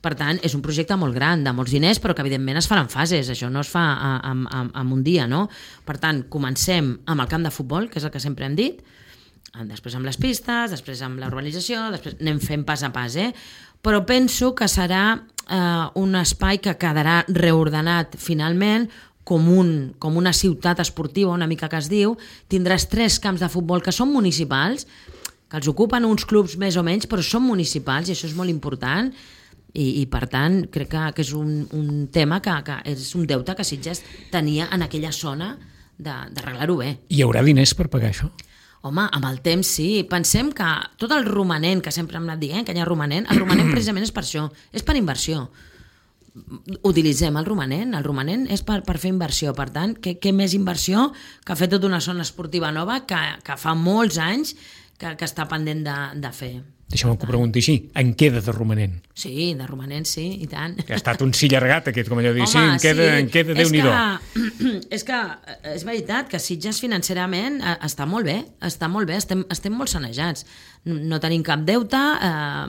Per tant, és un projecte molt gran, de molts diners, però que evidentment es farà en fases, això no es fa en, en, en un dia, no? Per tant, comencem amb el camp de futbol, que és el que sempre hem dit, després amb les pistes, després amb la urbanització, després anem fent pas a pas, eh? Però penso que serà eh, un espai que quedarà reordenat finalment, com, un, com una ciutat esportiva, una mica que es diu, tindràs tres camps de futbol que són municipals, que els ocupen uns clubs més o menys, però són municipals i això és molt important i, i per tant crec que, que és un, un tema que, que és un deute que Sitges tenia en aquella zona d'arreglar-ho bé. Hi haurà diners per pagar això? Home, amb el temps sí. Pensem que tot el romanent, que sempre hem anat dient, que hi ha romanent, el romanent precisament és per això, és per inversió. Utilitzem el romanent, el romanent és per, per fer inversió, per tant, què, què més inversió que fer tota una zona esportiva nova que, que fa molts anys que, que està pendent de, de fer. Deixa'm que ho pregunti així, en queda de romanent? Sí, de romanent sí, i tant. Que ha estat un sí llargat aquest, com allò de dir, sí, en queda, sí. En queda Déu-n'hi-do. És que és veritat que Sitges financerament està molt bé, està molt bé, estem, estem molt sanejats. No tenim cap deute, eh,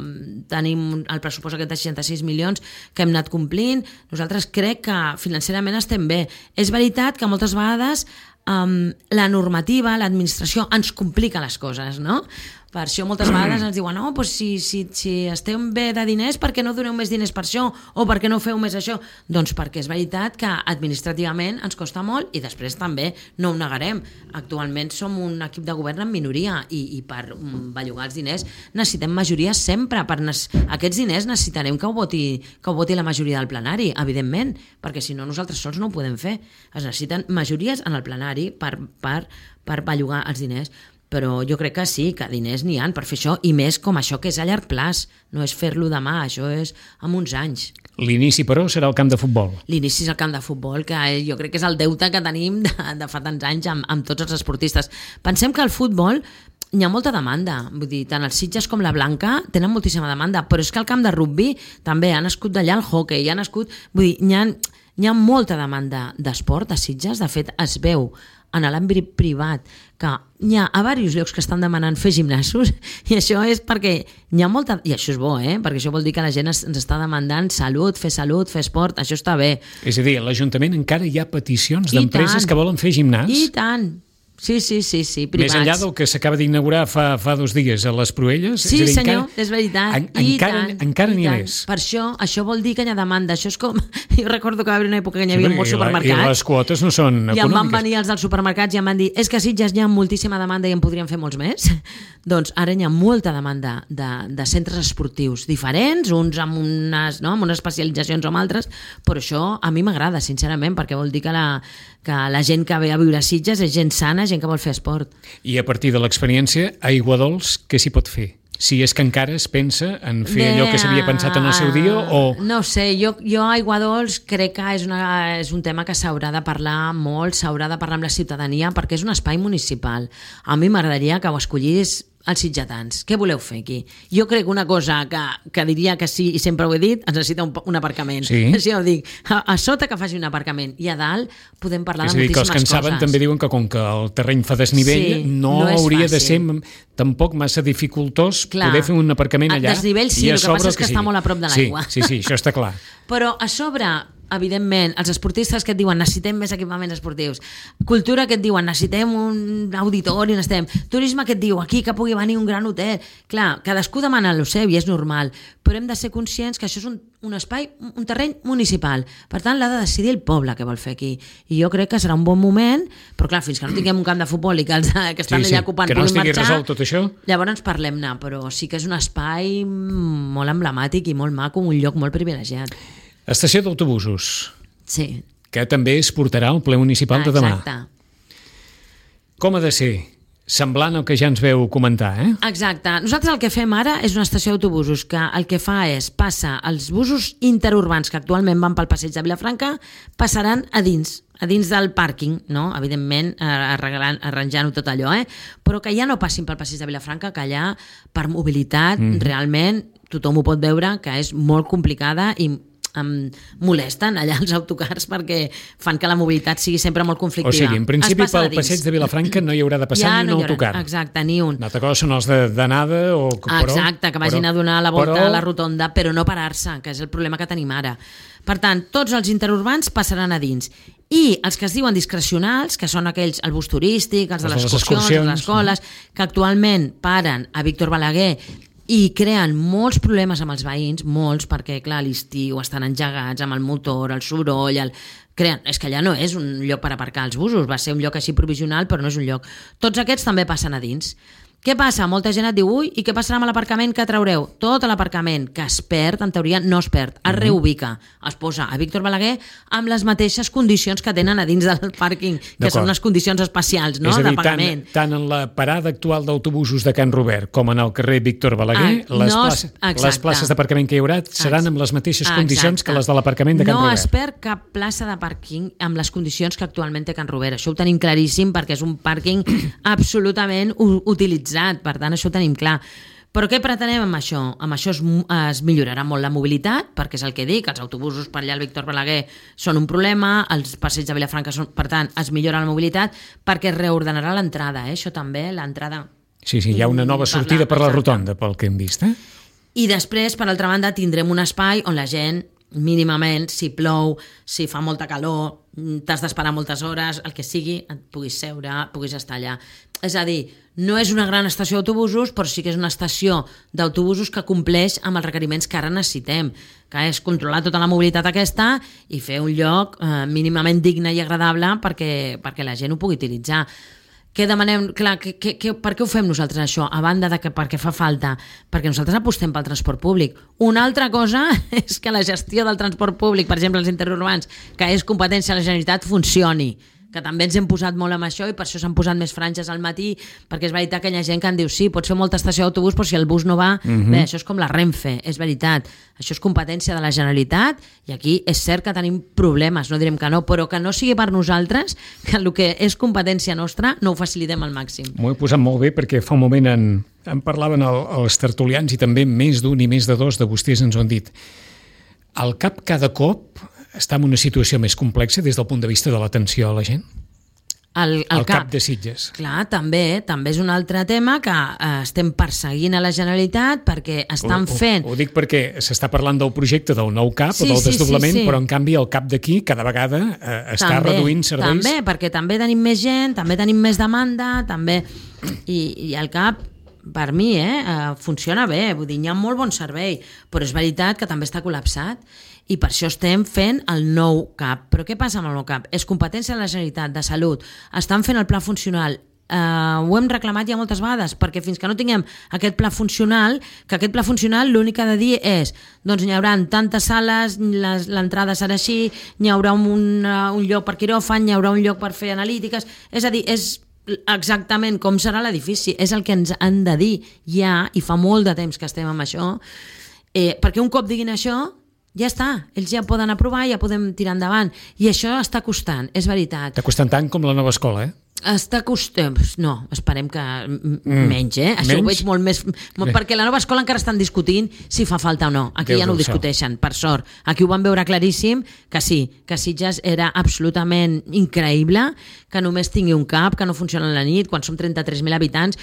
tenim el pressupost aquest de seixanta-sis milions que hem anat complint. Nosaltres crec que financerament estem bé. És veritat que moltes vegades um, la normativa, l'administració ens complica les coses, no? Per això moltes vegades ens diuen no, doncs si, si, si esteu bé de diners, per què no doneu més diners per això? O per què no feu més això? Doncs perquè és veritat que administrativament ens costa molt i després també no ho negarem. Actualment som un equip de govern en minoria i, i per bellugar els diners necessitem majoria sempre. Per ne- aquests diners necessitarem que ho, voti, que ho voti la majoria del plenari, evidentment, perquè si no nosaltres sols no ho podem fer. Es necessiten majories en el plenari per, per, per bellugar els diners. Però jo crec que sí, que diners n'hi ha per fer això, i més com això que és a llarg plaç, no és fer-lo demà, això és en uns anys. L'inici, però, serà el camp de futbol. L'inici és el camp de futbol, que jo crec que és el deute que tenim de, de fa tants anys amb, amb tots els esportistes. Pensem que el futbol hi ha molta demanda, vull dir, tant els Sitges com la Blanca tenen moltíssima demanda, però és que el camp de rugby també ha nascut d'allà el hockey, ha nascut, vull dir, hi ha, hi ha molta demanda d'esport a Sitges, de fet es veu en l'àmbit privat, que hi ha a diversos llocs que estan demanant fer gimnasos, i això és perquè hi ha molta... I això és bo, eh? Perquè això vol dir que la gent ens està demandant salut, fer salut, fer esport, això està bé. És a dir, a l'Ajuntament encara hi ha peticions d'empreses que volen fer gimnàs? I tant! Sí, sí, sí, sí, privats. Més enllà del que s'acaba d'inaugurar fa, fa dos dies a les Proelles? Sí, és dir, senyor, encara, és veritat. En, I encara tant, encara n'hi ha tant. més. Per això, això vol dir que hi ha demanda. Això és com... Jo recordo que va haver una època que hi havia Sí, molts i la- supermercats. I les quotes no són I em econòmiques. van venir els dels supermercats i em van dir és que a Sitges hi ha moltíssima demanda i en podríem fer molts més. Doncs ara hi ha molta demanda de, de centres esportius diferents, uns amb unes, no, amb unes especialitzacions o amb altres, però això a mi m'agrada, sincerament, perquè vol dir que la, que la gent que ve a viure a Sitges és gent sana, gent que vol fer esport. I a partir de l'experiència, a Aiguadols, què s'hi pot fer? Si és que encara es pensa en fer Bé, allò que s'havia pensat en el seu dia o... No sé, jo, jo a Aiguadols crec que és, una, és un tema que s'haurà de parlar molt, s'haurà de parlar amb la ciutadania perquè és un espai municipal. A mi m'agradaria que ho escollís els sitgetans. Què voleu fer aquí? Jo crec una cosa que, que diria que sí, i sempre ho he dit, ens necessita un, un aparcament. Sí. Així ho dic. A, a sota que faci un aparcament i a dalt podem parlar És a de dir, que els moltíssimes que en saben coses. també diuen que com que el terreny fa desnivell, Sí, no, no és hauria de ser fàcil. tampoc massa dificultós Clar. poder fer un aparcament A allà. desnivell sí, i a el que sobre passa és que sigui. està molt a prop de l'aigua. Sí, sí, sí, això està clar. Però a sobre, evidentment, els esportistes que et diuen necessitem més equipaments esportius, cultura que et diuen necessitem un auditori, necessitem turisme que et diu aquí que pugui venir un gran hotel. Clar, cadascú demana el seu i és normal, però hem de ser conscients que això és un, un espai, un terreny municipal. Per tant, l'ha de decidir el poble que vol fer aquí. I jo crec que serà un bon moment, però clar, fins que no tinguem un camp de futbol i que els que estan Sí, sí, allà ocupant que no puguin estigui marxar, resolt tot això. llavors parlem-ne, però sí que és un espai molt emblemàtic i molt maco, un lloc molt privilegiat. Estació d'autobusos, Sí. que també es portarà al ple municipal de demà. Exacte. Com ha de ser? Semblant al que ja ens veu comentar, eh? Exacte. Nosaltres el que fem ara és una estació d'autobusos que el que fa és passa els busos interurbans que actualment van pel passeig de Vilafranca passaran a dins, a dins del pàrquing, no? Evidentment, arreglant, arranjant-ho tot allò, eh? Però que ja no passin pel passeig de Vilafranca, que allà per mobilitat mm. realment tothom ho pot veure que és molt complicada i em molesten allà els autocars perquè fan que la mobilitat sigui sempre molt conflictiva. O sigui, en principi Es passa pel a dins. passeig de Vilafranca no hi haurà de passar Ja ni no un hi haurà- autocar. Exacte, ni un. Una altra cosa són els de- d'anada o... Però, Exacte, que vagin però, a donar la volta però, a la rotonda, però no parar-se, que és el problema que tenim ara. Per tant, tots els interurbans passaran a dins. I els que es diuen discrecionals, que són aquells, el bus turístic, els de Els les de les excursions, excursions, les escoles, que actualment paren a Víctor Balaguer i creen molts problemes amb els veïns, molts, perquè, clar, a l'estiu estan engegats amb el motor, el soroll, el... creen... és que allà no és un lloc per aparcar els busos, va ser un lloc així provisional, però no és un lloc. Tots aquests també passen a dins. Què passa? Molta gent et diu, ui, i què passarà amb l'aparcament que traureu? Tot l'aparcament que es perd, en teoria no es perd, es reubica, es posa a Víctor Balaguer amb les mateixes condicions que tenen a dins del pàrquing, que són unes condicions especials, no?, és a dir, de pagament. Tant, tant en la parada actual d'autobusos de Can Robert com en el carrer Víctor Balaguer, Ah, les, no es- places, les exacte. places d'aparcament que hi haurà seran amb les mateixes condicions que les de l'aparcament de Can no Robert. No es perd cap plaça de pàrquing amb les condicions que actualment té Can Robert. Això ho tenim claríssim perquè és un pàrquing absolutament u- utilitzat. Per tant, això ho tenim clar. Però què pretenem amb això? Amb això es, es millorarà molt la mobilitat, perquè és el que dic, els autobusos per allà al Víctor Balaguer són un problema, els passeigs de Vilafranca són... Per tant, es millora la mobilitat perquè es reordenarà l'entrada, eh? Això també, l'entrada... Sí, sí, hi ha una nova sortida per la rotonda, pel que hem vist, eh? I després, per altra banda, tindrem un espai on la gent, mínimament, si plou, si fa molta calor, t'has d'esperar moltes hores, el que sigui, et puguis seure, puguis estar allà. És a dir, no és una gran estació d'autobusos, però sí que és una estació d'autobusos que compleix amb els requeriments que ara necessitem, que és controlar tota la mobilitat aquesta i fer un lloc eh, mínimament digne i agradable perquè, perquè la gent ho pugui utilitzar. Què demanem? Clar, que, que, que, per què ho fem nosaltres això? A banda de que perquè fa falta, perquè nosaltres apostem pel transport públic. Una altra cosa és que la gestió del transport públic, per exemple els interurbans, que és competència de la Generalitat, funcioni, que també ens hem posat molt amb això i per això s'han posat més franges al matí, perquè és veritat que hi ha gent que en diu sí, pots fer molta estació d'autobús, però si el bus no va, mm-hmm. bé, això és com la Renfe, és veritat, això és competència de la Generalitat i aquí és cert que tenim problemes, no direm que no, però que no sigui per nosaltres, que el que és competència nostra no ho facilitem al màxim. M'ho he posat molt bé perquè fa un moment en, en parlaven el, els tertulians i també més d'un i més de dos de vostès ens ho han dit. El CAP cada cop està en una situació més complexa des del punt de vista de l'atenció a la gent? el, el, el cap. cap de Sitges. Clar, també també és un altre tema que eh, estem perseguint a la Generalitat perquè estan ho, fent... Ho, ho dic perquè s'està parlant del projecte del nou cap sí, o del sí, desdoblament, sí, sí. però en canvi el cap d'aquí cada vegada eh, està també, reduint serveis. També, perquè també tenim més gent, també tenim més demanda, també... I, i el cap, per mi, eh, eh, funciona bé, vull dir, hi ha molt bon servei, però és veritat que també està col·lapsat i per això estem fent el nou cap. Però què passa amb el nou cap? És competència de la Generalitat de Salut, estan fent el pla funcional. Uh, ho hem reclamat ja moltes vegades, perquè fins que no tinguem aquest pla funcional, que aquest pla funcional l'únic que ha de dir és, doncs n'hi haurà tantes sales, l'entrada serà així, n'hi haurà un, uh, un lloc per quiròfan, n'hi haurà un lloc per fer analítiques, és a dir, és exactament com serà l'edifici, és el que ens han de dir ja, i fa molt de temps que estem amb això, eh, perquè un cop diguin això, ja està, ells ja poden aprovar, ja podem tirar endavant, i això està costant, és veritat. Està costant tant com la nova escola, eh? Està costant... No, esperem que mm. menys, eh? Això menys? Ho veig molt més... Molt, perquè la nova escola encara estan discutint si fa falta o no. Aquí Déu ja no ho discuteixen, per sort. Aquí ho van veure claríssim, que sí, que Sitges era absolutament increïble, que només tingui un cap, que no funciona a la nit, quan som trenta-tres mil habitants.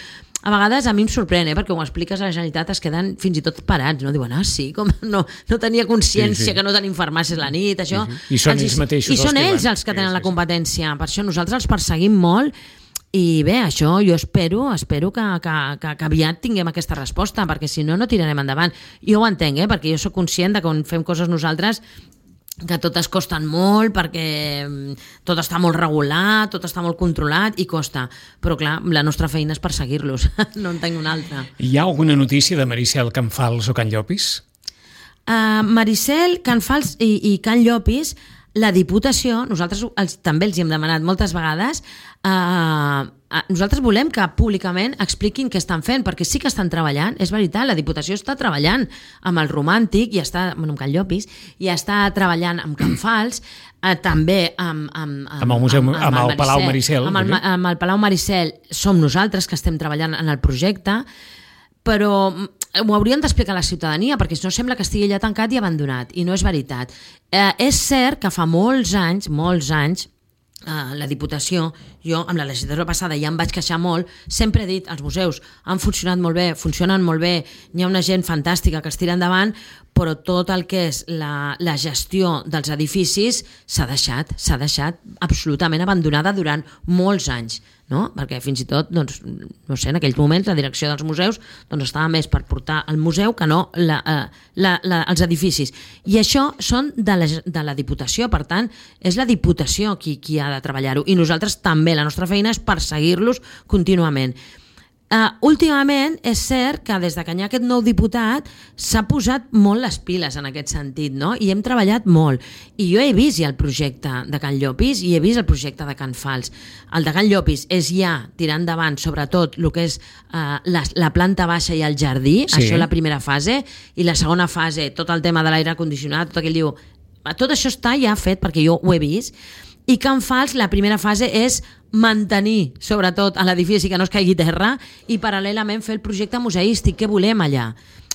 A vegades a mi em sorprèn, eh? Perquè ho expliques a la Generalitat, es queden fins i tot parats, no? Diuen, ah, sí, com no, no tenia consciència sí, sí. que no tenim farmàcies a la nit, això... Uh -huh. I són ells mateixos I són els ells que els que tenen sí, la sí, competència. Per això nosaltres els perseguim molt i bé, això jo espero espero que, que, que, que aviat tinguem aquesta resposta, perquè si no, no tirarem endavant. Jo ho entenc, eh? Perquè jo sóc conscient de que quan fem coses nosaltres que totes costen molt perquè tot està molt regulat, tot està molt controlat i costa, però clar, la nostra feina és perseguir-los, no en tinc una altra. Hi ha alguna notícia de Maricel Canfals o Can Llopis? Uh, Maricel Canfals i, i Can Llopis, la Diputació, nosaltres els, també els hi hem demanat moltes vegades, uh, nosaltres volem que públicament expliquin què estan fent, perquè sí que estan treballant, és veritat, la Diputació està treballant amb el Romàntic, i està, bueno, amb Can Llopis, i està treballant amb Can Fals, eh, també amb, amb, amb, amb el, museu, amb, amb, amb el, el Palau Maricel. Amb el, amb el Palau Maricel som nosaltres que estem treballant en el projecte, però ho haurien d'explicar a la ciutadania, perquè no sembla que estigui allà tancat i abandonat, i no és veritat. Eh, és cert que fa molts anys, molts anys, Uh, la Diputació, jo amb la legislatura passada ja em vaig queixar molt, sempre he dit els museus han funcionat molt bé, funcionen molt bé, hi ha una gent fantàstica que es tira endavant, però tot el que és la, la gestió dels edificis s'ha deixat, s'ha deixat absolutament abandonada durant molts anys, no? Perquè fins i tot, doncs, no sé, en aquells moments la direcció dels museus doncs, estava més per portar el museu que no la, la, la, els edificis. I això són de la, de la Diputació, per tant, és la Diputació qui, qui ha de treballar-ho. I nosaltres també, la nostra feina és perseguir-los contínuament. Uh, últimament és cert que des de que hi ha aquest nou diputat s'ha posat molt les piles en aquest sentit, no? I hem treballat molt, i jo he vist ja el projecte de Can Llopis i he vist el projecte de Can Fals. El de Can Llopis és ja tirar endavant sobretot el que és uh, la, la planta baixa i el jardí, sí. Això la primera fase, i la segona fase, tot el tema de l'aire condicionat, tot aquell diu, tot això està ja fet perquè jo ho he vist. I Can Fals, la primera fase és mantenir, sobretot, a l'edifici que no es caigui terra i paral·lelament fer el projecte museístic que volem allà.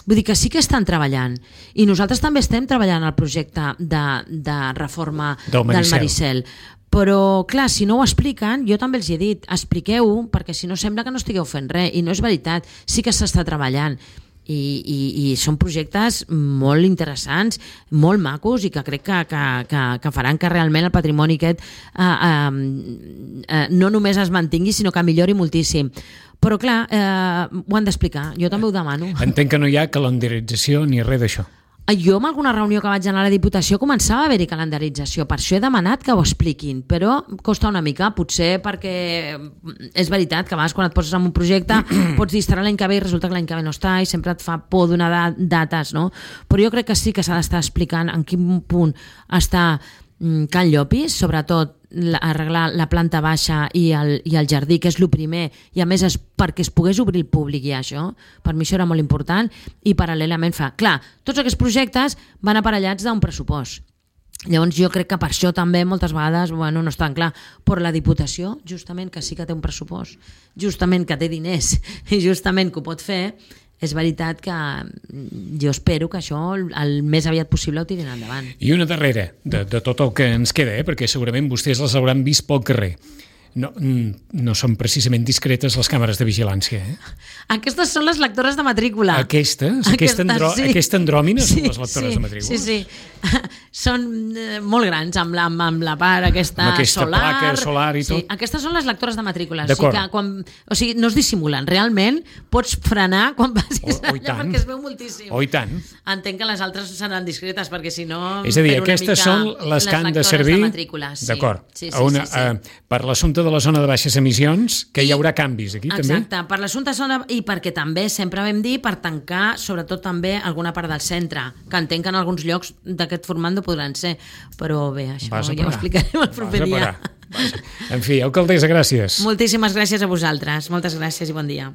Vull dir que sí que estan treballant. I nosaltres també estem treballant al projecte de, de reforma del Maricel. del Maricel. Però, clar, si no ho expliquen, jo també els he dit, expliqueu-ho, perquè si no sembla que no estigueu fent res. I no és veritat, sí que s'està treballant. I, i, i són projectes molt interessants, molt macos i que crec que, que, que, que faran que realment el patrimoni aquest eh, eh, eh, no només es mantingui sinó que millori moltíssim. Però clar, eh, ho han d'explicar, jo també ho demano. Entenc que no hi ha calendarització ni res d'això. Jo en alguna reunió que vaig anar a la Diputació començava a haver-hi calendarització, per això he demanat que ho expliquin, però costa una mica, potser perquè és veritat que a vegades quan et poses en un projecte pots dir estarà l'any que ve i resulta que l'any que ve no està i sempre et fa por donar dates, no? Però jo crec que sí que s'ha d'estar explicant en quin punt està Can Llopis, sobretot arreglar la planta baixa i el, i el jardí, que és el primer, i a més és perquè es pogués obrir el públic i això, per mi això era molt important, i paral·lelament fa, clar, tots aquests projectes van aparellats d'un pressupost. Llavors jo crec que per això també moltes vegades bueno, no és tan clar, però la Diputació justament que sí que té un pressupost, justament que té diners i justament que ho pot fer, és veritat que jo espero que això el més aviat possible ho tirin endavant. I una darrera de, de tot el que ens queda, eh? Perquè segurament vostès les hauran vist pel carrer. no, no són precisament discretes les càmeres de vigilància. Eh? Aquestes són les lectores de matrícula. Aquestes? Aquesta, andrò, sí. aquesta andròmina sí, són les lectores sí, de matrícula? Sí, sí. Són eh, molt grans, amb la, amb la part aquesta, amb aquesta solar. placa solar i tot. Sí, aquestes són les lectores de matrícula. D'acord. O sigui, que quan, o sigui, no es dissimulen. Realment pots frenar quan passis o, o allà perquè es veu moltíssim. O i tant. Entenc que les altres seran discretes perquè si no... És a dir, aquestes són les que han de servir... De sí. D'acord. Sí, sí, Una, sí, sí. uh, per l'assumpte de la zona de baixes emissions, que I, hi haurà canvis aquí, exacte, també? Exacte, per l'assumpte zona i perquè també, sempre vam dir, per tancar sobretot també alguna part del centre, que entenc que en alguns llocs d'aquest format no podran ser, però bé, això ja ho explicarem el proper dia. En fi, alcaldessa, gràcies. Moltíssimes gràcies a vosaltres, moltes gràcies i bon dia.